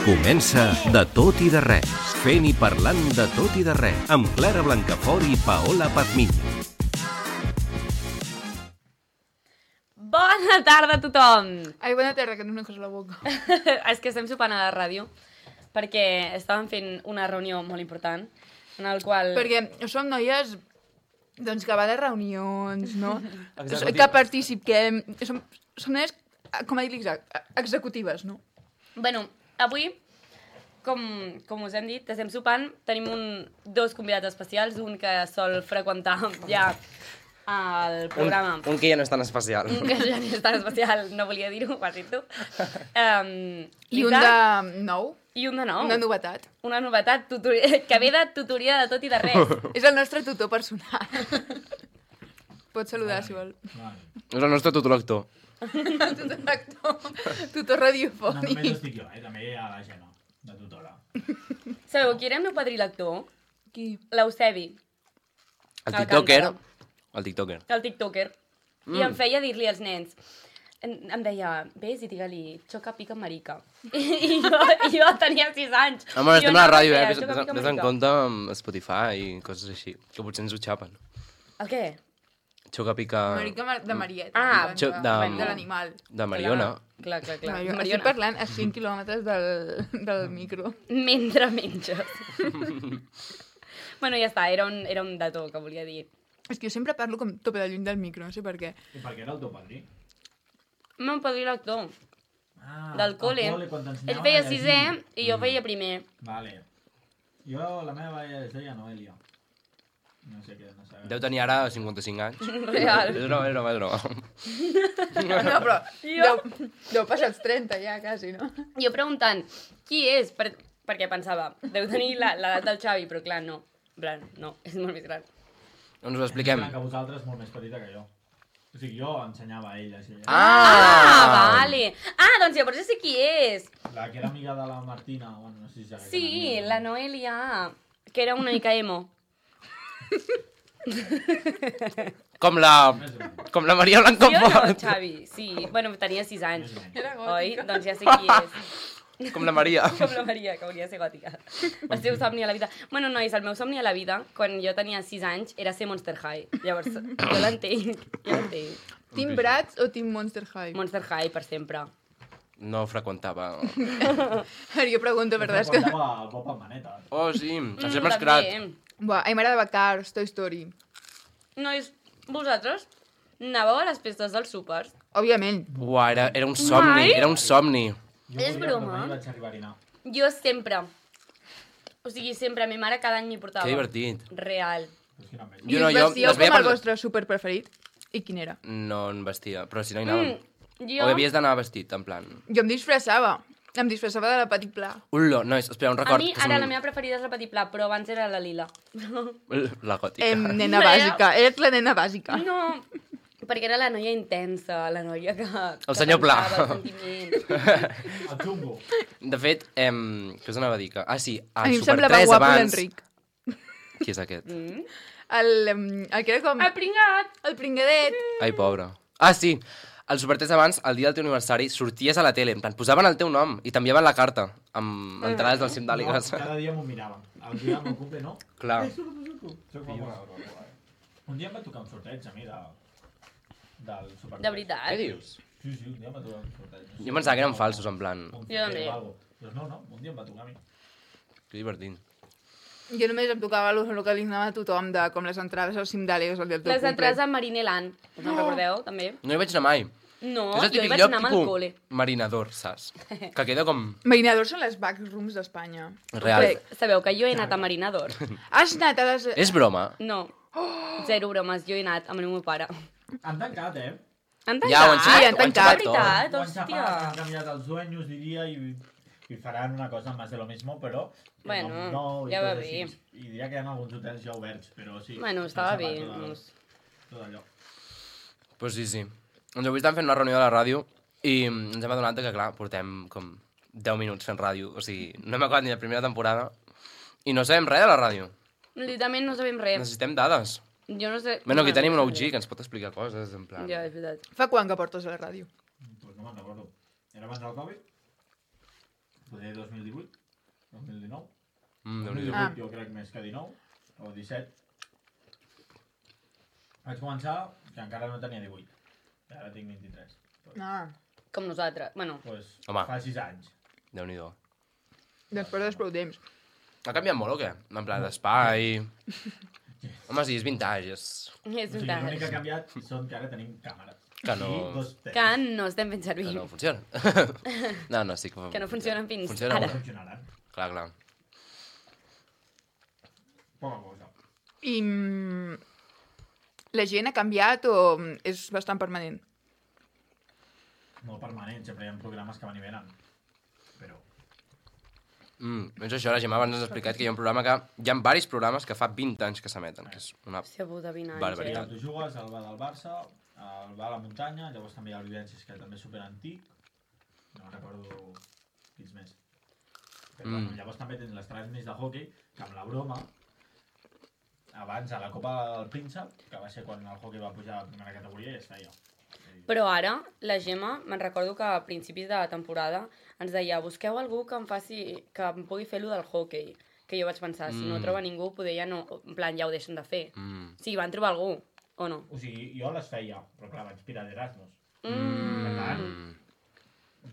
Comença De tot i de res, fent i parlant de tot i de res, amb Clara Blancafort i Paola Pazmiño. Bona tarda a tothom! Ai, bona tarda, que no em cosa a la boca. És que estem sopant a la ràdio perquè estàvem fent una reunió molt important en el qual... Perquè som noies doncs, que va de reunions, no? Executives. Que participem. Som noies, com a dir executives, no? Bueno, avui, com us hem dit, estem sopant, tenim dos convidats especials, un que sol freqüentar ja el programa. Un que ja no és tan especial. Un que ja no és tan especial, no volia dir-ho, ho has dit tu. I un de nou. I un de nou. Una novetat. Una novetat que ve de tutoria de tot i de res. És el nostre tutor personal. Pots saludar, si vol. És el nostre tutor lector. Tutor actor. Tutor No, radiofònic. només estic jo, també hi ha la Gemma, de tutora. Sabeu qui era el meu padrí lector? Qui? L'Eusebi. El El tiktoker. Càntara. El tiktoker. El tiktoker. I em feia dir-li als nens. Em deia, vés i digue-li, xoca, pica, marica. I jo tenia 6 anys. Home, estem a la ràdio, deia, Vés xoca, pica, en marica. compte amb Spotify i coses així, que potser ens ho xapen. El què? Xoca pica... Marica de Marieta. Ah, de l'animal. De Mariona. Clar. Mariona. Estic parlant a 5 quilòmetres del micro. Mentre menges. Bueno, ja està, era un dato que volia dir. És que jo sempre parlo com tope de lluny del micro, no sé per què. I per què era el teu padrí? El meu padrí lector, del al cole. quan Ell t'ensenyaven feia a llegir. 6è i jo feia primer. Vale. Jo, la meva es deia Noelia. No sé què, no sé. Deu tenir ara 55 anys. Real. És broma. No, però deu passar els 30 ja, quasi, no? Jo preguntant, qui és? Perquè pensava, deu tenir l'edat del Xavi, però clar, no. En plan, no, és molt més gran. Doncs ho expliquem. Que vosaltres molt més petita que jo. O sigui, jo ensenyava a ella. Així, Vale. Ah, doncs llavors ja sé qui és. La que era amiga de la Martina. Bueno, no sé si ja Sí, la Noelia, que era una mica emo. Com la Maria Sí o no, Blancafort. Xavi? Sí, bueno, tenia 6 anys. Era Oi? gòtica. Doncs ja sé qui és. Com la Maria. Com la Maria, que hauria de ser gòtica. El seu somni a la vida. Bueno, nois, el meu somni a la vida, quan jo tenia 6 anys, era ser Monster High. Llavors, jo l'entenc. Team Bratz o Team Monster High? Monster High per sempre. No freqüentava. Jo pregunto, verdad, és que... Freqüentava el Bob amb maneta. Oh, sí, el sempre escrat. Buah, a mi m'agradava Cars, Toy Story. Nois, vosaltres anàveu a les festes dels súpers? Òbviament. Buah, era un somni, Mai? era un somni. Jo És volia, broma? però mai vaig arribar a anar. Jo sempre. O sigui, sempre. Mi mare cada any m'hi portava. Que divertit. Real. Però és que no em veig. I Jo no, us jo vestíeu les veia com el per... vostre súper preferit? I quin era? No en vestia, però si no hi anàvem. Jo... O havies d'anar vestit, en plan... Jo em disfressava. Em disfressava de la Petit Pla. Ullo, nois, espera, un A record. mi, ara, la meva preferida és la Petit Pla, però abans era la Lila. La gòtica. Nena bàsica. Eres la nena bàsica. No, perquè era la noia intensa, la noia que... El senyor Pla. pensava els sentiments. El xungo. De fet, què us anava a dir? Ah, sí, A al mi em Super semblava 3 guapo abans... l'Enric. Qui és aquest? El que era com... El pringat! El pringadet. Ai, pobre. Ah, sí, al Super 3 abans, el dia del teu aniversari, sorties a la tele, en plan, posaven el teu nom i t'enviaven la carta amb entrades del cim d'àligues. Cada dia m'ho miraven. El dia del meu cumple, no? Clar. Surto. Soc un dia em va tocar un sorteig a mi del Super. De veritat. Què dius? Sí, un dia em va tocar un sorteig. No sé, Jo pensava que eren falsos, en plan... un Jo també. o algo. Doncs no, un dia em va tocar a mi. Que divertit. Jo només em tocava el que li anava a tothom, de com les entrades al cim d'àligues el dia del teu Les cumple. entrades a Marineland. Us en recordeu, també? No hi vaig anar mai. No, És el jo hi típic vaig lloc anar amb el tipus col·le. marinador, saps? Que queda com... Marinadors són les backrooms d'Espanya. Real. Sabeu que jo he anat a Marinador? Has anat a les... És broma. No. Zero bromes, jo he anat amb el meu pare. Han tancat, Han Ja, ho han tancat? Sí, han xapat tancat. tot. Veritat, Ho han xapat, han hòstia. canviat els dueños, diria, i faran una cosa más de lo mismo, però... que Bueno, i ja va coses bé. així. I diria que hi ha alguns hotels ja oberts, però sí. Bueno, han estava xapat bé. tot Doncs. Tot allò. Pues sí. Doncs avui estem fent una reunió de la ràdio i ens hem adonat que, clar, portem com 10 minuts fent ràdio. O sigui, no hem acabat ni la primera temporada i no sabem res de la ràdio. Literalment no sabem res. Necessitem dades. Jo no sé... Bueno, aquí tenim un OG que ens pot explicar coses, en plan... Ja, és veritat. Fa quan que portes a la ràdio? Pues no me'n recordo. Era abans del Covid? Poder 2018, 2019. Déu-n'hi-do. 2018 jo crec més que 19, o 17. Vaig començar que encara no tenia 18. I ara tinc 23. Ah, Com nosaltres. Bueno, Pues, Home. fa 6 anys. Déu-n'hi-do. doncs portes prou temps. Ha canviat molt o què? En plan d'espai... Home, sí, és vintage, és... és un L'únic que ha tant. canviat són que ara tenim càmeres. Que no- I 2 teles. Que no estem fent servir. Que no funciona. No, sí que... Que no funcionen fins Funciona ara. No funcionaran. Clar, clar. Poca cosa. I la gent ha canviat o és bastant permanent? Molt permanent, sempre hi ha programes que van i venen. Però... Doncs això, la Gemma abans ens ha explicat que hi ha un programa que... Hi ha diversos programes que fa 20 anys que s'emeten, que és una... Hòstia puta, 20 anys. Barbaritat. Tu jugues al bar del Barça, al bar a la muntanya, llavors també hi ha el Vivències, que també és superantic. No me'n recordo quins més. Però bueno, llavors també tens les transmissions de hockey, que amb la broma, abans a la Copa del Príncep, que va ser quan el hockey va pujar a primera categoria, i es feia. Però ara, la Gemma, me'n recordo que a principis de la temporada ens deia busqueu algú que em faci, que em pugui fer lo del hockey. Que jo vaig pensar, si no troba ningú, poder ja no... En plan, ja ho deixen de fer. Sí, van trobar algú, o no? O sigui, jo les feia, però clar, vaig pirar d'Erasmus. Per tant,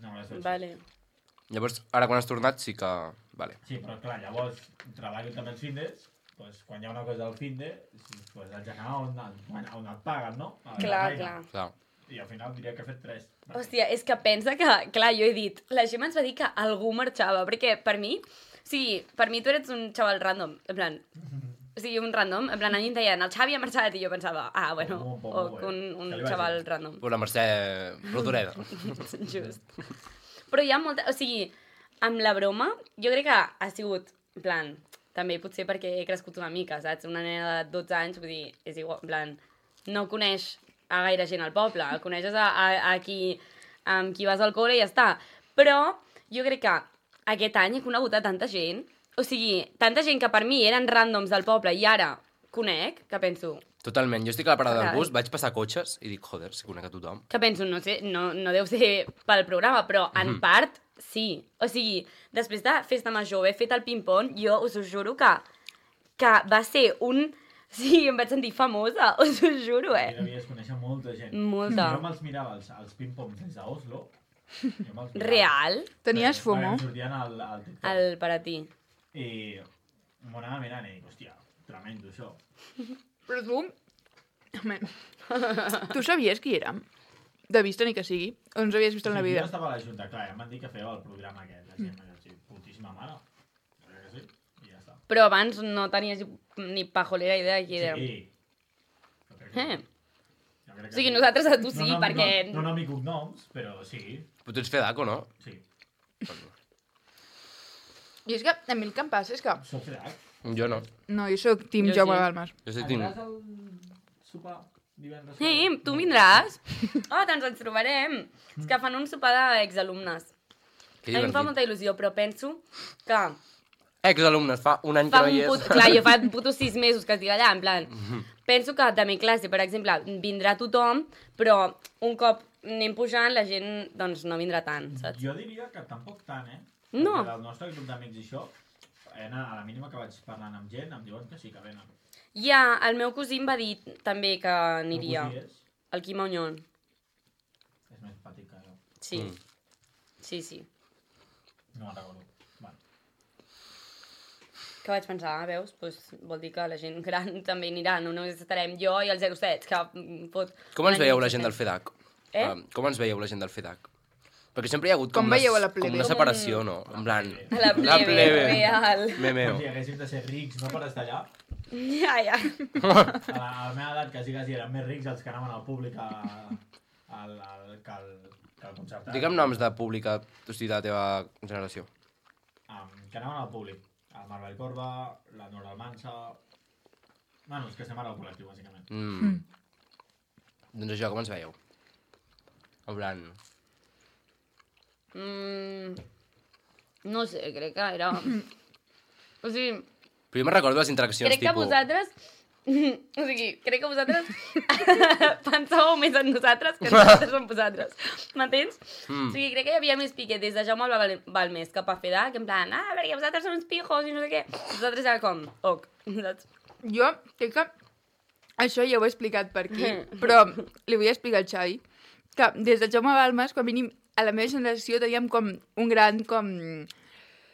no les vaig fer. Vale. Llavors, ara quan has tornat sí que... Vale. Sí, però clar, llavors treballo també els findes, doncs quan hi ha una cosa del finde, doncs haig d'anar on et paguen, no? A la Clar, feina. clar. Clar. I al final diria que he fet 3. Hòstia, és que pensa que... Clar, jo he dit... La Gemma ens va dir que algú marxava, perquè per mi... Sí, per mi tu eres un xaval random, en plan... O sigui, un random, en plan, a mi em deien, el Xavi ha marxat, i jo pensava, bueno, o un xaval random. Pues la Mercè Rodoreda. Just. Però hi ha molta... O sigui, amb la broma, jo crec que ha sigut, en plan, també potser perquè he crescut una mica, saps? Una nena de 12 anys, vull dir, és igual, en plan, no coneix a gaire gent al poble, coneixes a qui, amb qui vas al col·le i ja està. Però jo crec que aquest any he conegut a tanta gent, o sigui, tanta gent que per mi eren ràndoms del poble i ara conec, que penso, Totalment. Jo estic a la parada del Carai. bus, vaig passar cotxes i dic, joder, si conec a tothom. que penso, no sé, no deu ser pel programa, però en part sí. O sigui, després de Festa Major, haver fet el ping-pong, jo us ho juro que va ser un... Sí, em vaig sentir famosa, us ho juro, I devies conèixer molta gent. Molta. Jo me'ls mirava els ping-pongs des d'Oslo. Jo me'ls mirava. Real, Tenies Perquè FOMO? em sortien al TikTok. el per a ti. I m'ho anava mirant i dic, hòstia, tremendo això. Però tu... Home, tu sabies qui era? De vista ni que sigui. O ens havies vist en la vida? Jo estava a la Junta, clar, em van dir que fèieu el programa aquest. La gent m'ha dit, putíssima mare. Jo crec que sí, i ja està. Però abans no tenies ni pajolera idea de qui era. Sí. Jo crec que sí. Jo crec que O sigui, nosaltres a tu sí, no, perquè... No, no mi cognoms, però sí, Però tu ets fedaco, no? sí. I és que a mi el que em passa és que... Soc fedac. Jo no. No, jo sóc Team Jo Jaume sí. Balmas. Jo estic dint... Aniràs al sopar divendres? Sí, tu vindràs. Oh, doncs ens trobarem. És que fan un sopar d'exalumnes. Que A mi em fa divertit. molta il·lusió, però penso que Exalumnes, fa un any que fa no un hi és. put... Clar, jo fa putos 6 mesos que estic allà, en plan... Penso que de mi classe, per exemple, vindrà tothom, però un cop anem pujant, la gent, doncs, no vindrà tant, saps? Jo diria que tampoc tant, eh? No. Perquè del nostre grup d'amics i això, a la mínima que vaig parlant amb gent, em diuen que sí que venen. Ja, el meu cosí em va dir també que aniria. El cosí és? El Quim Auñón. És més petit que jo. Sí. Sí, sí. No me'n recordo. Bueno. Que vaig pensar, veus? Pues, vol dir que la gent gran també anirà, no només estarem jo i el 07, que pot... Com ens una veieu nit la gent que del FEDAC? Eh? Com ens veieu la gent del FEDAC? Perquè sempre hi ha hagut com, Com veieu a la plebe? com una separació, no? En plan... La plebe, real. Memeo. Com si haguéssim de ser rics, no per estar allà. Ja, ja. A la meva edat, quasi eren més rics els que anaven al públic que al concertat. Digue'm noms de pública, o sigui, de la teva generació. Que anaven al públic. El Marc Vallcorba, la Nora Almansa... Bueno, els que estem ara al col·lectiu, bàsicament. Doncs això, com ens veieu? En plan... No sé, crec que era... O sigui, Però jo me'n recordo les interaccions, crec que tipus... vosaltres O sigui, crec que vosaltres pensàveu més en nosaltres que nosaltres en vosaltres. M'entens? O sigui, crec que hi havia més piquet des de Jaume Balmés cap a FEDAC, en plan, perquè vosaltres són uns pijos i no sé què. Vosaltres era com, saps? Jo crec que això ja ho he explicat per aquí, però li vull explicar al Xavi que des de Jaume Balmes, com a mínim, a la meva generació teníem com un gran,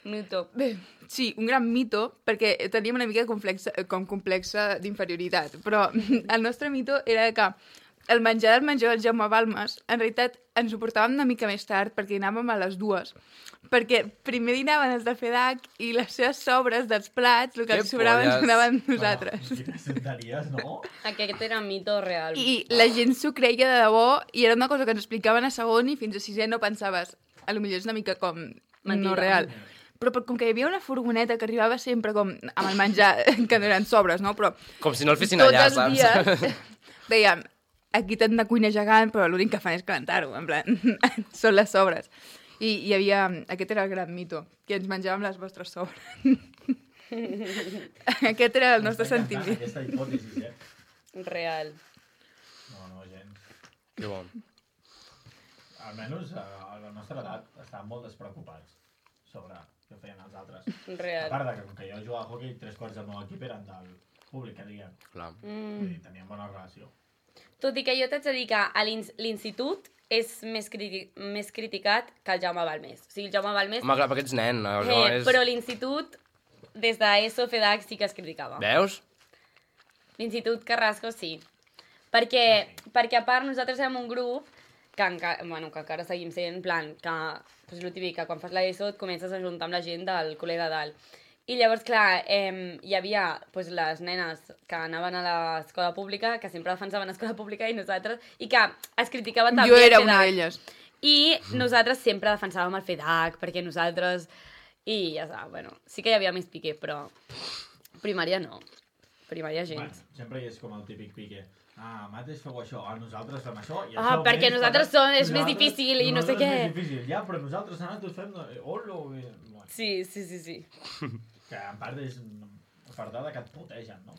Mito. Bé, sí, un gran mito, perquè teníem una mica complexa d'inferioritat, però el nostre mito era que el menjar del Jaume Balmes, en realitat ens ho portàvem una mica més tard, perquè anàvem a les 2, perquè primer dinaven els de FEDAC i les seves sobres dels plats, el que ens sobrava ens donaven nosaltres. Quines tonteries, no? Aquest era mito real. I la gent s'ho creia de debò, i era una cosa que ens explicaven a segon i fins a sisè no pensaves. A lo millor és una mica com Mentida. no real. Però com que hi havia una furgoneta que arribava sempre com amb el menjar, que no eren sobres, no? Però Com si no el fessin allà, tots els saps? dies dèiem, aquí tenen una cuina gegant, però l'únic que fan és calentar-ho, en plan, són les sobres. I hi havia, aquest era el gran mito, que ens menjàvem les vostres sobres. Aquest era el nostre sentiment. Aquesta hipòtesi, Real. No, gens. Que bo. Almenys a la nostra edat estàvem molt despreocupats sobre què feien els altres. A Real. part de que, com que jo jugava a hockey, 3/4 del meu equip eren del públic, que diguem. Clar. Vull dir, teníem bona relació. Tot i que jo t'haig de dir que a l'institut és més criticat que el Jaume Balmés. O sigui, el Jaume Balmés... Home, clar, perquè ets nen. No és... Però l'institut, des d'ESO, FEDAC, sí que es criticava. Veus? L'institut Carrasco, sí. Perquè a part nosaltres érem un grup que encara seguim sent, en plan, que pues, el típic, que quan fas l'ESO et comences a juntar amb la gent del col·le de dalt. I llavors, clar, hi havia pues, les nenes que anaven a l'escola pública, que sempre defensaven l'escola pública i nosaltres, i que es criticava també Jo era el una FEDAC. d'elles. I nosaltres sempre defensàvem el FEDAC, perquè nosaltres... I ja està, bueno, sí que hi havia més piqué, però primària no. Primària gens. Bueno, sempre hi és com el típic pique. Mates feu això, nosaltres fem això, i Ah, això perquè més, nosaltres és més difícil i no sé què. És més difícil, ja, però nosaltres nosaltres fem... Olo! Bueno, Sí. que en part és fardada que et putegen, no?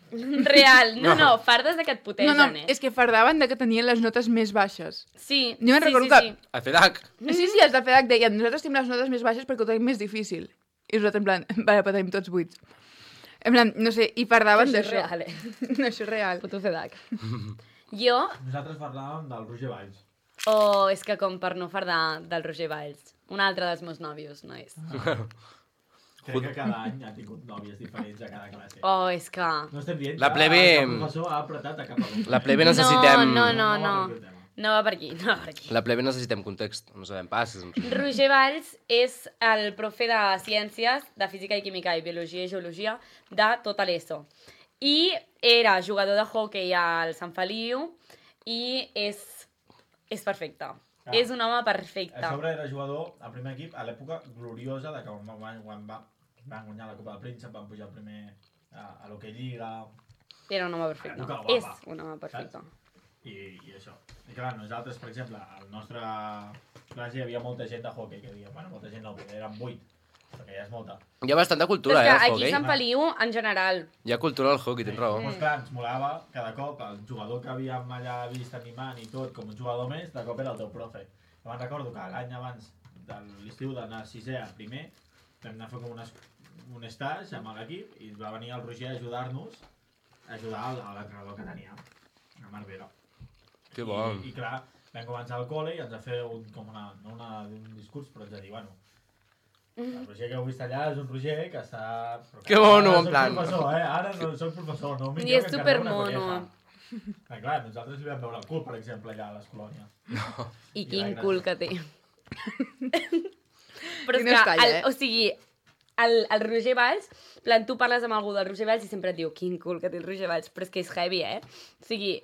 Real. No, fardes de que et putegen, No, és que fardaven de que tenien les notes més baixes. Sí, Jo me'n recordo que... A FEDAC. Sí, els de FEDAC deien, nosaltres tenim les notes més baixes perquè ho tenim més difícil. I nosaltres en plan, vale, però tenim tots 8. En plan, no sé, i fardaven Això és d'això. real, No, això és real. Puto FEDAC. Jo... Nosaltres parlàvem del Roger Valls. Oh, és que com per no fardar del Roger Valls. Un altre dels meus nòvios, nois. Crec que cada any ha tingut nòvies diferents a cada classe. Oh, és que... No estem dient La plebe- que el professor ha apretat a cap alumne. La plebe necessitem... No. aquest tema. No va per aquí, no va per aquí. La plebe necessitem context. No sabem pas. Roger Valls és el profe de ciències, de física i química i biologia i geologia de tota l'ESO. I era jugador de hoquei al Sant Feliu i és perfecte. És un home perfecte. A sobre era jugador al primer equip a l'època gloriosa de que quan van guanyar la Copa del Príncep, van pujar primer a l'Hockey Lliga... Era un home perfecte. Època guapa, És un home perfecte. I això. I clar, nosaltres, per exemple, al nostre classe hi havia molta gent de hockey, que diguem, bueno, molta gent no, eren 8, perquè ja és molta. Hi ha bastanta Però cultura, és que al aquí a hockey. Sant Feliu, en general, Hi ha cultura al hockey, tens raó. Doncs clar, ens molava cada cop el jugador que havíem allà vist animant i tot, com un jugador més, de cop era el teu profe. Me'n recordo que l'any abans de l'estiu d'anar a sisè a primer, vam anar a fer com un stage amb l'equip i va venir el Roger a ajudar-nos a ajudar a l'entrenador que teníem, a Marbera. Que bon. I clar, vam començar al col·le i ens va fer un discurs, però ens va dir, bueno, el Roger que heu vist allà és un Roger que està... Que mono, Ara en plan. Soc professor, Ara no soc professor, no I és supermono. Clar, nosaltres li vam veure el cul, per exemple, allà a les colònies. I I quin la cul que té. Però I és no es que, calla, o sigui, el Roger Valls, plan, tu parles amb algú del Roger Valls i sempre et diu quin cul que té el Roger Valls, però és que és heavy, O sigui,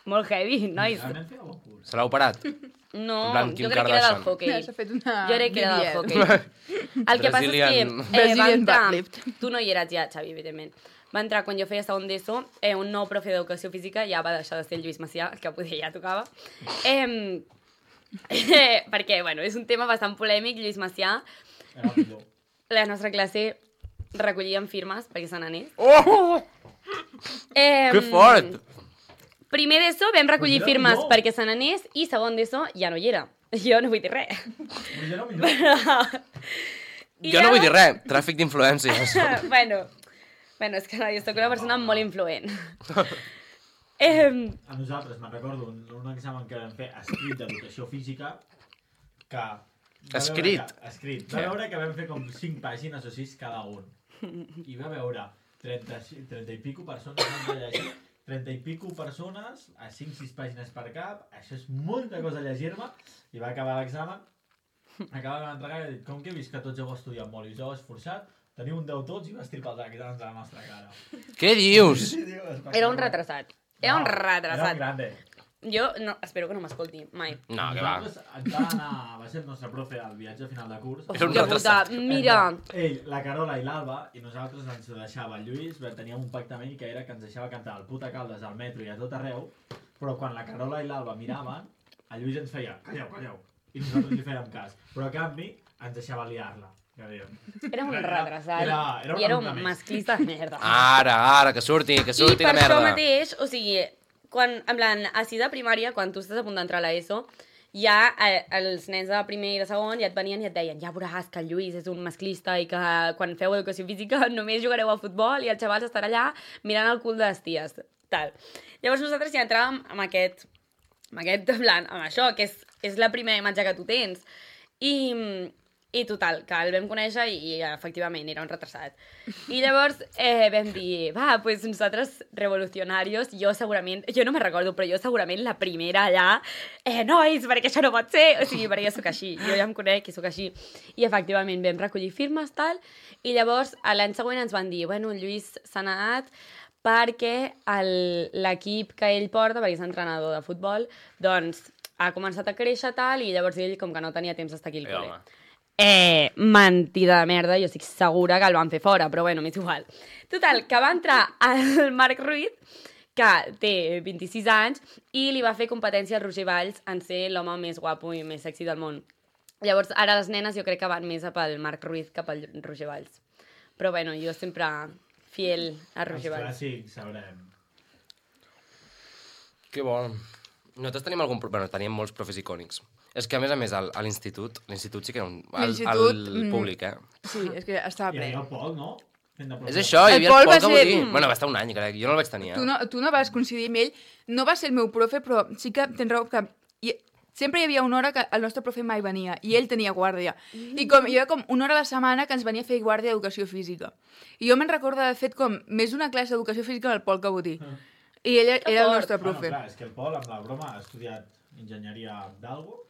molt heavy, nois. Realment feia bon cul. Se l'ha operat. No, En plan, jo Kim crec que era del Kardashian. hockey. S'ha fet una... Jo crec que era del BBL. hockey. El que passa és Brazilian- que va Brazilian entrar... butt-lift. Tu no hi eres ja, Xavi, evidentment. Va entrar quan jo feia segon d'ESO, un nou profe d'educació física, ja va deixar de ser el Lluís Macià, que poder ja tocava. Perquè, bueno, és un tema bastant polèmic, Lluís Macià. Era el millor. La nostra classe recollíem firmes perquè se n'anés. Oh! Que fort! Primer d'ESO vam recollir Pues era firmes millor. perquè se n'anés i segon d'ESO ja no hi era. Jo no vull dir res. Però jo no millor. Jo no vull dir res, tràfic d'influències. bueno, és que no, jo soc una persona molt influent. A nosaltres, me'n recordo, un examen que vam fer escrit d'educació física, que... Escrit? Escrit. Va veure que vam fer com 5 pàgines o 6 cada un. I va veure 30 i pico persones han de llegir, 30 i pico persones, a 5-6 pàgines per cap, això és molta cosa a llegir-me, i va acabar l'examen, acabava d'entregar i va dir, com que he vist que tots heu estudiat molt i us heu esforçat, teniu un 10 tots i va estripar els exàmens a la nostra cara. Què dius? Era un retrasat. Era un Era retrasat. un grande. Jo no, espero que no m'escolti, mai. No, que va. Nosaltres ens va anar, va ser el nostre profe al viatge a final de curs. Era un Hòstia retrasat. puta, mira. Ell, la Carola i l'Alba, i nosaltres ens deixava el Lluís, teníem un pacte amb ell que era que ens deixava cantar al puta Caldes, al metro i a tot arreu, però quan la Carola i l'Alba miraven, el Lluís ens feia, calleu, i nosaltres li fèiem cas. Però a canvi ens deixava liar-la. Ja dèiem. Era un retrasat. Era I era un alumne més. masclista de merda. Ara, que surti I la per merda. això mateix, o sigui, quan, en plan, a 6 de primària, quan tu estàs a punt d'entrar a l'ESO, ja els nens de primer i de segon ja et venien i et deien ja veuràs que el Lluís és un masclista i que quan feu educació física només jugareu a futbol i els xavals estan allà mirant el cul de les ties. Tal. Llavors nosaltres ja entràvem amb aquest en plan, amb això, que és la primera imatge que tu tens. I total, que el vam conèixer i efectivament era un retrasat. I llavors vam dir, va, pues nosaltres revolucionarios, jo no me'n recordo, però jo segurament la primera allà, nois, perquè això no pot ser, o sigui, perquè jo sóc així, jo ja em conec i sóc així. I efectivament vam recollir firmes, tal, i llavors l'any següent ens van dir, bueno, el Lluís s'ha anat perquè l'equip que ell porta, perquè és entrenador de futbol, doncs ha començat a créixer tal, i llavors ell com que no tenia temps d'estar aquí al col·le. Mentida de merda, jo estic segura que el van fer fora, però bueno, m'és igual. Total, que va entrar el Marc Ruiz, que té 26 anys, i li va fer competència al Roger Valls en ser l'home més guapo i més sexy del món. Llavors, ara les nenes jo crec que van més pel Marc Ruiz que pel Roger Valls. Però bueno, jo sempre fiel a Roger Els Valls. clàssics, sabrem. Que bo. Nosaltres tenim teníem molts profes icònics. És que, a més, a l'institut sí que era un... Al públic, Sí, és que estava Hi ple. havia el Pol, no? És això, hi havia Pol el va Pol ser- Cabotí. Bueno, va estar un any, crec. Jo no el vaig tenir, Tu no vas coincidir amb ell. No va ser el meu profe, però sí que tens raó que sempre hi havia una hora que el nostre profe mai venia i ell tenia guàrdia. I hi havia com una hora a la setmana que ens venia a fer guàrdia d'educació física. I jo me'n recordo d'haver fet com més d'una classe d'educació física amb el Pol Cabotí. I ell era el fort. nostre profe. Clar, és que el Pol, amb la broma, ha estudiat enginyeria d'algo,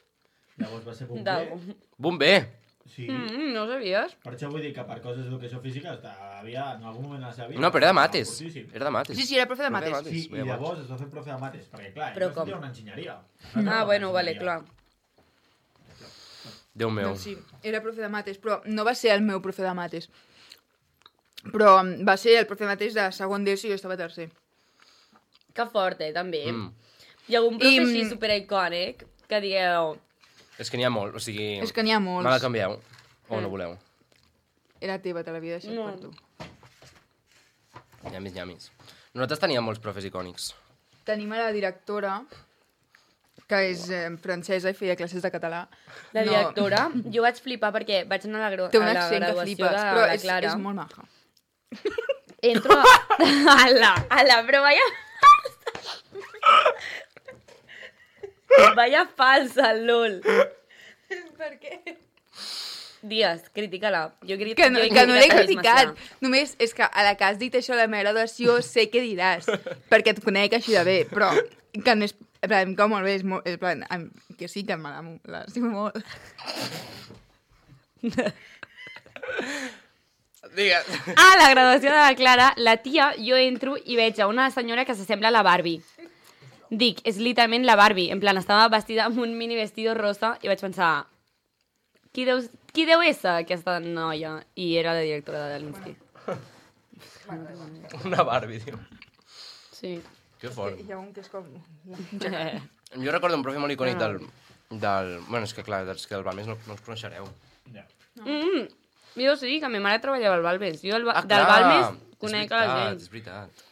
llavors va ser bomber. D'algo. Bomber! Sí, No ho sabies? per això vull dir que per coses d'educació física havia en algun moment de la seva vida... No, però era de mates. fortíssim. Era de mates. Sí, era profe de Profe de mates. Sí, Veia i llavors es va fer profe de mates, perquè clar, Però ell va com? estudiar una enginyeria. Ah, bueno, vale, clar. Déu meu. Doncs sí, era profe de mates, però no va ser el meu profe de mates. Però va ser el profe de mates de segon d'ESO i jo estava a tercer. Que fort, també. Mm. Hi ha algun profe I, així supericònic que digueu... És que n'hi ha molt, o sigui... És que n'hi ha molts. Me la canvieu, o no voleu. Era teva, te l'havia deixat No. per tu. Llamis. Nosaltres teníem molts profes icònics. Tenim a la directora, que és francesa i feia classes de català. La directora, jo vaig flipar perquè vaig anar a la, Té un a la accent que graduació flipes, de però la és Clara. molt maja. Entro a la, però vaya... Vaya falsa, lol. Per què? Digues, critica-la. Que no l'he criticat. Només és que a la que has dit això de la meva graduació sé què diràs, perquè et conec així de bé, però que no és... En plan, com molt bé, és plan, que sí que l'estimo molt. Digues. A la graduació de la Clara, la tia, jo entro i veig a una senyora que s'assembla a la Barbie. Dic, és literalment la Barbie. En plan, estava vestida amb un mini vestido rosa i vaig pensar, qui deu ésser aquesta noia? I era la directora de l'Insti. Una Barbie, tio. Sí. Que fort. Hi ha un que és com... Jo recordo un profe molt icònic del... Bueno, és que clar, és que del Balmes no us coneixereu. Ja. Jo sí, que ma mare treballava al Balmes. Jo del Balmes conec a la gent. És veritat.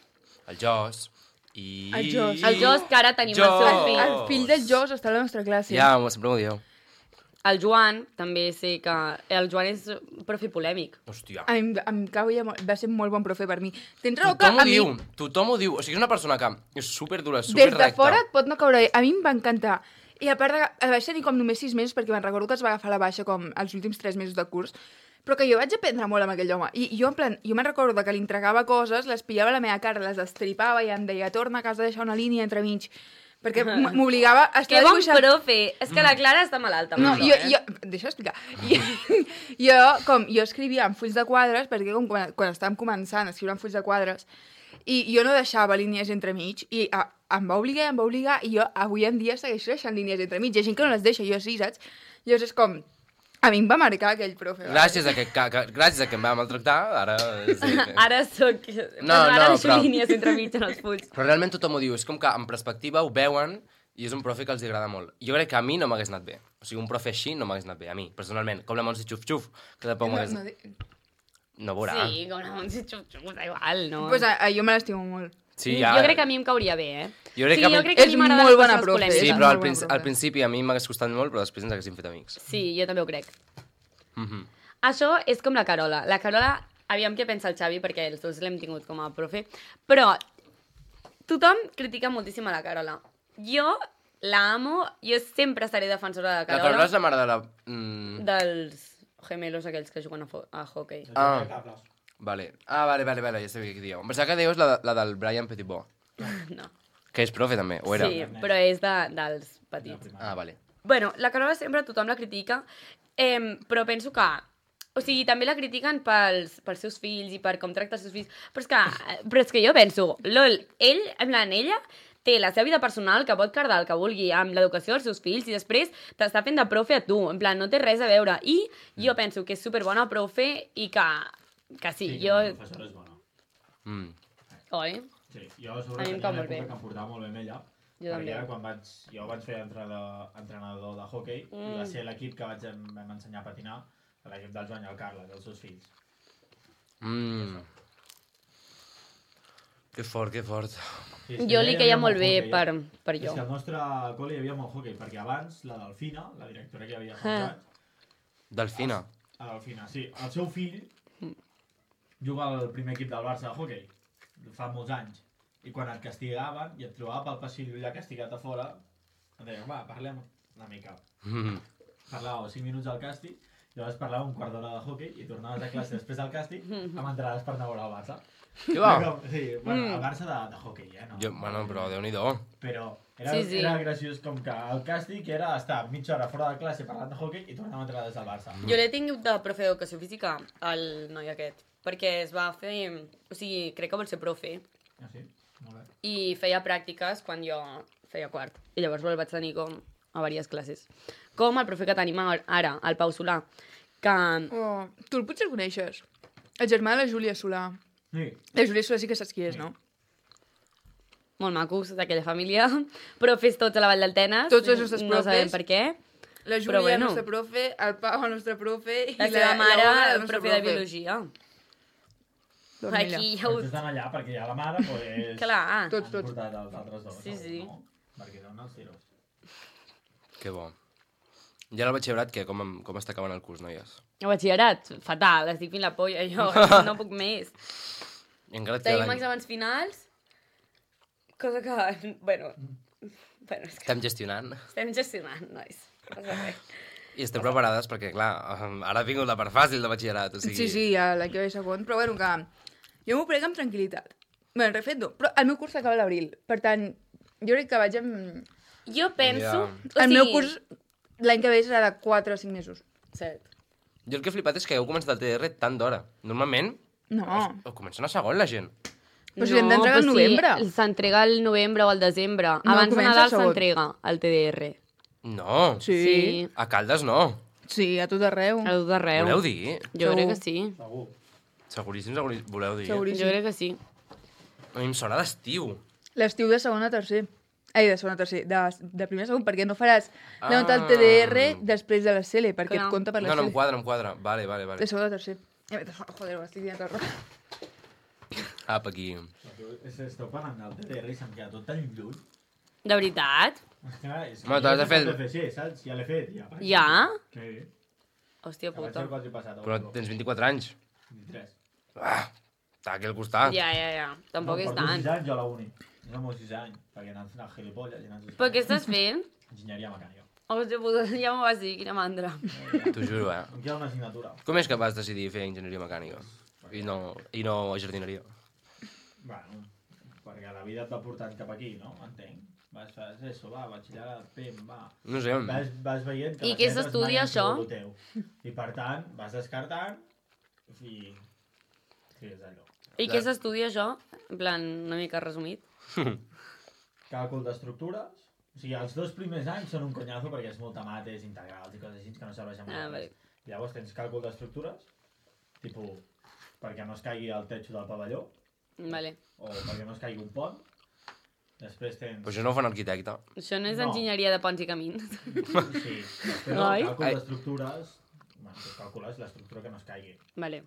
El Jos i... El Jos. El Jos, que ara tenim el seu fill. El fill del Jos està a la nostra classe. Ja, sempre m'ho dieu. El Joan, també sé que... El Joan és profe polèmic. Hòstia. A mi em caia molt, va ser molt bon profe per mi. Tens raó que Tothom ho diu. O sigui, és una persona que és superdura, des superrecta. de fora et pot no caure bé. A mi em va encantar. I a part, vaig tenir com només 6 mesos, perquè me'n recordo que es va agafar la baixa com els últims 3 mesos de curs, però que jo vaig aprendre molt amb aquell home. I jo, en plan, jo me'n recordo que li entregava coses, les pillava a la meva cara, les estripava i em deia, torna, que has de deixar una línia entremig. Perquè m'obligava a estar Que bon dibuixant... profe! És que la Clara està malalta. No, amb això, Deixa explicar. Jo escrivia en fulls de quadres, perquè quan estàvem començant a escriure en fulls de quadres, i jo no deixava línies entremig, i em va obligar, i jo avui en dia segueixo deixant línies entremig. Hi ha gent que no les deixa, jo sí, saps? Llavors és com... A mi em va marcar aquell profe. Gràcies a que em va maltractar, ara... Ara soc... Ara deixo línies entremig en els fulls. Però realment tothom ho diu. És com que en perspectiva ho veuen i és un profe que els agrada molt. Jo crec que a mi no m'hagués anat bé. O sigui, un profe així no m'hagués anat bé, a mi, personalment. Com la Montse Xuf-Xuf, que tampoc m'hagués... No veurà. Sí, com la Montse Xuf-Xuf, da igual, no? Pues jo me l'estimo molt. Sí, ja... Jo crec que a mi em cauria bé, Jo crec jo crec que a mi m'agrada molt bona les coses profe. polèmiques. Sí, És però molt bon profe. al principi a mi m'hagués costat molt, però després ens haguéssim fet amics. Sí, jo també ho crec. Això és com la Carola. La Carola, aviam què pensa el Xavi, perquè els dos l'hem tingut com a profe, però tothom critica moltíssim a la Carola. Jo la amo, jo sempre seré defensora de la La Carola. Carola és la mare de la... Dels gemelos aquells que juguen a hockey. Vale. Vale, ja sabia què dieu. Em pensava que deies la del Brian Petitbó, No. que és profe també, o era? Sí, però és dels petits. Vale. Bueno, la Carola sempre tothom la critica, però penso que... O sigui, també la critiquen pels seus fills i per com tracta els seus fills. Però és que jo penso, lol, ella té la seva vida personal que pot cardar el que vulgui amb l'educació dels seus fills i després t'està fent de profe a tu. En plan, no té res a veure. I jo penso que és superbona profe i que sí, jo... La professora és bona. Oi? Sí, jo A mi em cau molt bé. que em portava molt bé amb ella. Jo també. Perquè era quan jo vaig fer entrenador de hockey i va ser l'equip que vam ensenyar a patinar, l'equip del Joan i el Carles, els seus fills. Que fort, que fort. Sí, Jo li queia molt bé per És jo. que al nostre col·le hi havia molt hockey, perquè abans la Delfina, la directora que hi havia fa uns anys, Delfina. la Delfina, sí, el seu fill juga al primer equip del Barça de hockey, fa molts anys, i quan et castigaven i et trobava pel passillo allà castigat a fora, et deia, va, parlem una mica. Parlàveu 5 minuts al càstig, llavors parlàveu un quart d'hora de hockey i tornaves a classe després del càstig amb entrades per anar a veure el Barça. Què va? Sí, bueno, el Barça de hockey, no? Bueno, però Déu-n'hi-do. Però era, Sí. era graciós com que el càstig era estar mitja hora fora de classe parlant de hockey i tornar a entrar des del Barça. Jo l'he tingut de profe d'educació física, el noi aquest, perquè es va fer... O sigui, crec que vol ser profe, Ah, sí? Molt bé. i feia pràctiques quan jo feia quart. I llavors el vaig tenir com a diverses classes. Com el profe que tenim ara, el Pau Solà, que... Oh, tu el potser el coneixes. El germà de la Júlia Solà. Sí. La Júlia Solà sí que saps qui és, no? Molt macos d'aquella família, profes tots a la Vall d'Altenes. Tots els nostres No sabem profes. per què. La Però Júlia, bueno. el nostre profe, el Pau, el nostre profe, i La seva mare, Ona, el nostre profe de biologia. Doncs mira. Aquí hi ha Tots estan allà perquè hi ha la mare, doncs... Clar. Tots, Han tots. portat els altres dos. Sí. No? Perquè són els tiros. Que bo. I ara el batxillerat, què? Com està acabant el curs, noies? El batxillerat, fatal, estic fent la polla, jo no puc més. I encara et queda Tenim l'any. exàmens finals, cosa que, bueno, és que Estem gestionant. estem gestionant, nois. No sé res. I estem preparades perquè, clar, ara ha vingut la part fàcil de batxillerat, o sigui... Sí, ja l'any que ve segon, però bueno, que jo m'ho prenc amb tranquil·litat. Bé, refet no, però el meu curs s'acaba a l'abril, per tant, jo crec que vaig amb... Jo penso... Ja. El meu curs l'any que ve serà de 4 o 5 mesos. Cert. Jo el que he flipat és que heu començat el TDR tant d'hora. Normalment, No, ho comencen a segon, la gent. però si l'hem d'entregar al novembre. Sí, s'entrega al novembre o al desembre. No, Abans de comença Nadal el segon. s'entrega el TDR. No, Sí. a Caldes no. Sí, a tot arreu. A tot arreu. Voleu dir? Jo crec que Segur. sí. Segur. Seguríssim, voleu dir? Seguríssim. Jo crec que sí. A mi em sona d'estiu. L'estiu de segon a tercer. Ai, de segon a tercer. De primer a segon, perquè no faràs la nota del TDR després de la CL, perquè Clar. et compta per la No, CL. em quadra. Vale. De segon a tercer. Joder, ho estic dient tot roba. Apa, aquí. Esteu parlant del TDR i se'm queda tot tan lluny. De veritat? És que Home, t'has de fer el- TFC, saps? Ja l'he fet, ja. Ja? Sí. Hòstia Que vaig puta. fer quasi passat. Però tens 24 anys. 23. Està aquí al costat. Ja. Tampoc és Porto tant. 6 anys jo a la uni. Jo amb 6 anys, perquè anant fent el gilipolles i anant... Però què estàs fent? Enginyeria mecànica. Hòstia puta, ja m'ho vas dir, quina mandra. T'ho juro, Em queda una assignatura. Com és que vas decidir fer enginyeria mecànica? I no jardineria? Bueno, perquè la vida et va portant cap aquí, no? Entenc. Vas fer eso, va, batxillerat, pim, va. No sé. Vas veient que I les què lletres s'estudia, mai han això? sigut el teu. I per tant, vas descartant i... Sí, és allò. I què s'estudia això? En plan, una mica resumit. Càlcul d'estructures. O sigui, els 2 primers anys són un conyazo perquè és molta mates, integrals i coses així que no serveixen molt. Vale. I llavors tens càlcul d'estructures, tipus, perquè no es caigui el techo del pavelló, Vale. o perquè no es caigui un pont. Després tens... Però això no ho fa un arquitecte. Això no és No. enginyeria de ponts i camins. Sí, però Ai. càlcul d'estructures... Bueno, tu calcules l'estructura que no es caigui. Vale.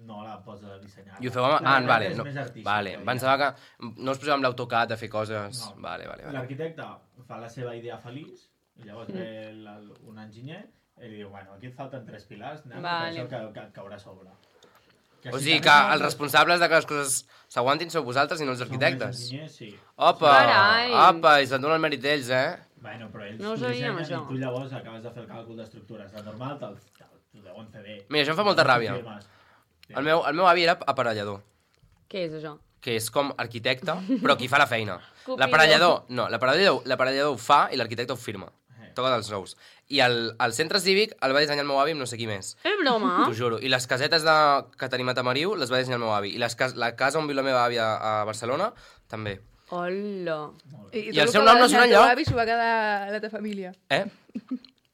No la pots dissenyar. I ho feu amb... La vale. és No, més artística, vale. ja. Pensava que no us poseu amb l'AutoCAD a fer coses... No. Vale. L'arquitecte fa la seva idea feliç, i llavors ve un enginyer i li diu, bueno, aquí et falten 3 pilars, anem Vale. això que et caurà a sobre. O sigui que els responsables de que les coses s'aguantin sou vosaltres i no els arquitectes. Enginyers, sí. Opa! Carai! Opa! I se'n dona el mèrit d'ells, eh? Bueno, però ells No ho ho sabíem, dissenyen això. i tu llavors acabes de fer el càlcul d'estructures. De normal t'ho deuen fer bé. Mira, això em fa molta ràbia. Firmes. El meu avi era aparellador, Què és això? que és com arquitecte, però qui fa la feina. Cupidor. L'aparellador ho fa i l'arquitecte ho firma. Toca dels ous. I el centre cívic el va dissenyar el meu avi amb no sé qui més. És broma? T'ho juro. I les casetes que tenim a Tamariu les va dissenyar el meu avi. I la casa on viu la meva àvia a Barcelona, també. Hola. I el seu nom no surt El enlloc? teu avi s'ho va quedar la teva família.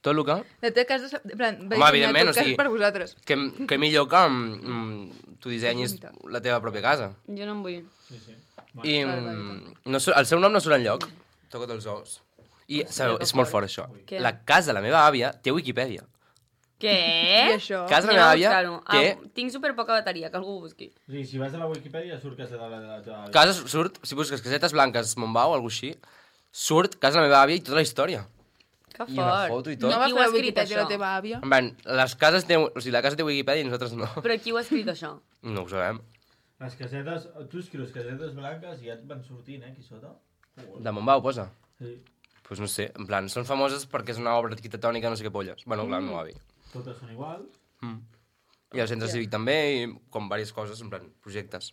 Tot el que... La teva casa, en plan, va Home, dissenyar evidentment, tot o sigui- cas per vosaltres. Que millor que tu dissenyis la teva pròpia casa. Jo no en vull. Sí, sí. I Vale, el seu nom no surt enlloc. Toca't els ous. I sabeu, és molt fort això. Què? La casa de la meva àvia té Wikipedia. Què? I això? Casa de la Anem meva a àvia buscar-ho. té... Tinc super poca bateria, que algú ho busqui. O sigui, si vas a la Wikipedia surt que és de la teva... Casa surt, si busques casetes blanques Montbau o alguna així, surt casa de la meva àvia i tota la història. Que I una fort. foto i No tot. va Qui ho fer ha la escrit, Wikipedia la això? teva àvia? En plan, la casa té Wikipedia i nosaltres no. Però qui ho ha escrit, això? No ho sabem. Les casetes... Tu escrius casetes blanques i ja et van sortint, aquí sota. De Montbau, posa. Sí. Pues no sé, en plan, són famoses perquè és una obra arquitectònica, no sé què polles. Bueno, clar, el meu avi. Totes són iguals. I el centre cívic també, i com diverses coses, en plan, projectes.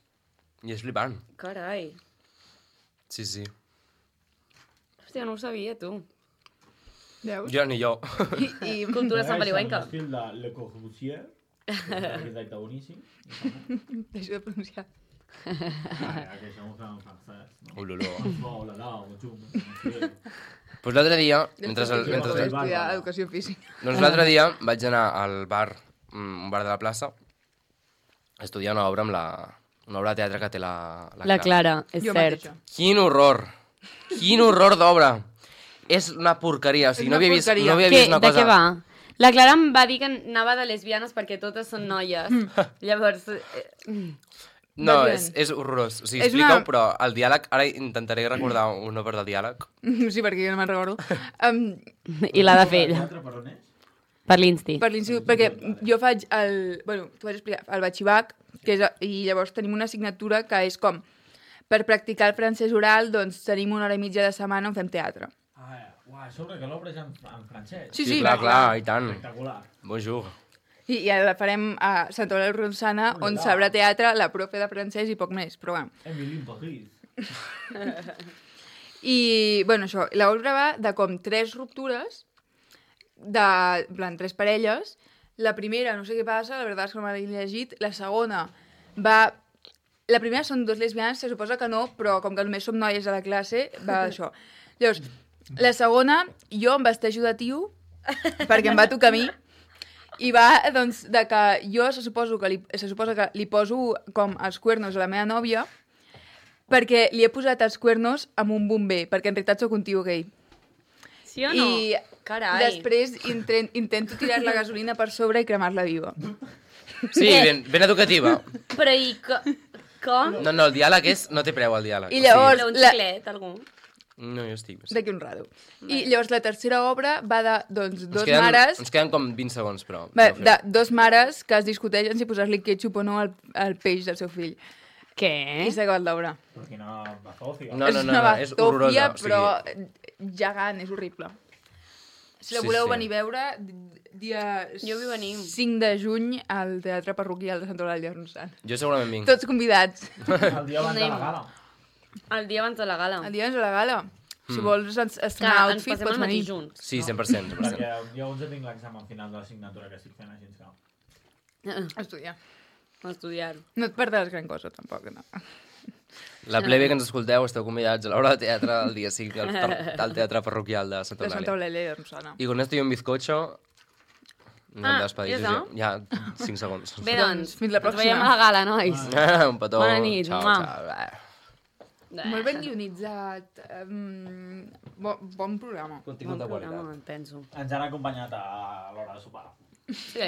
I és flipant. Carai. Sí, sí. Hòstia, no ho sabia, tu. Veus? Jo ni jo. I Cultura sant Pariuenca. L'estil de Le Corbusier, que és un arquitecte boníssim. deixo de pronunciar. Que això ho fem en francès, no? Uloló. Oh, la la, o xum, no sé. Pues l'altre dia, Després mentre... vaig estudiar educació física. Doncs l'altre dia vaig anar al bar, un bar de la plaça, a estudiar una obra amb una obra de teatre que té la La Clara, és Jo cert. mateixa. Quin horror! Quin horror d'obra! És una porqueria, o sigui, És no una havia vist, porqueria. no havia Què, vist una de cosa... què va? La Clara em va dir que anava de lesbianes perquè totes són noies. Llavors... No, Bàsicament. és horrorós. O sigui, És explica-ho, una- però el diàleg... Ara intentaré recordar una part del diàleg. Sí, perquè jo no me'n recordo. I l'ha de fer ella. Teatre per on és? Per l'Insti. Per l'institut, perquè jo faig el... Bueno, t'ho vaig explicar, el batxibac, que és, i llavors tenim una assignatura que és com, per practicar el francès oral, doncs tenim 1 hora i mitja de setmana on fem teatre. Uau, a sobre que l'obra és en francès. Sí, sí, clar, i tant. Espectacular. Bonjour. I la farem a Santa Eulàlia Ronçana, on Ui, sabrà teatre, la profe de francès i poc més, però bueno. Emily in Paris. I, bueno, això, l'obra va de com 3 ruptures, en plan, 3 parelles. La primera, no sé què passa, la veritat és que no m'ha llegit. La segona va... La primera són 2 lesbianes, se suposa que no, però com que només som noies a la classe, va això. Llavors, la segona, jo em vesteixo de tio, perquè em va tocar a mi, i va, doncs, de que jo se suposa que li poso com els cuernos a la meva nòvia, perquè li he posat els cuernos amb un bomber, perquè en realitat sóc un tio gay. Sí o no? I Carai. després intento tirar la gasolina per sobre i cremar-la viva. Sí, ben educativa. Però i com? No, el diàleg és... No té preu, el diàleg. I llavors- Però un xiclet, algú? No, jo estic... D'aquí un rato. I llavors la tercera obra va de, doncs, dos Ens mares... queden com 20 segons, però... Va, de dos mares que es discuteixen si posar-li ketchup o no al peix del seu fill. Què? I s'ha acabat l'obra. Perquè no bazofia. No, És una és batòfia, horrorosa. però gegant, és horrible. Si la Sí, voleu sí. venir a veure, dia Jo vull venir. 5 de juny al Teatre Parroquial de Santa Eulàlia de Ronçana. Jo segurament vinc. Tots convidats. El dia abans de la gala. El dia abans de la gala. El dia abans de la gala. Si vols Que estrenar ens outfit, passem pots el matí venir. junts. Sí, 100%. 100%. Perquè el dia 11 tinc l'examen final de l'assignatura que estic fent, així que... Estudiar. Estudiar. No et perdràs gran cosa, tampoc, no. La plebe que ens escolteu, esteu convidats a l'hora de teatre el dia 5 al Teatre Parroquial de Santa De Santa Eulàlia. Eulàlia de Ronçana. Y con esto y un bizcocho... No em despedis, ja Josep. Ja, 5 segons. Bé, doncs, fins la ens veiem pròxima. a la gala, nois. Un petó. Bona nit, Ciao, mua. ciao. Molt ben guionitzat. Bon programa. Contingut de Bon programa, qualitat. penso. Ens han acompanyat a l'hora de sopar. Sí,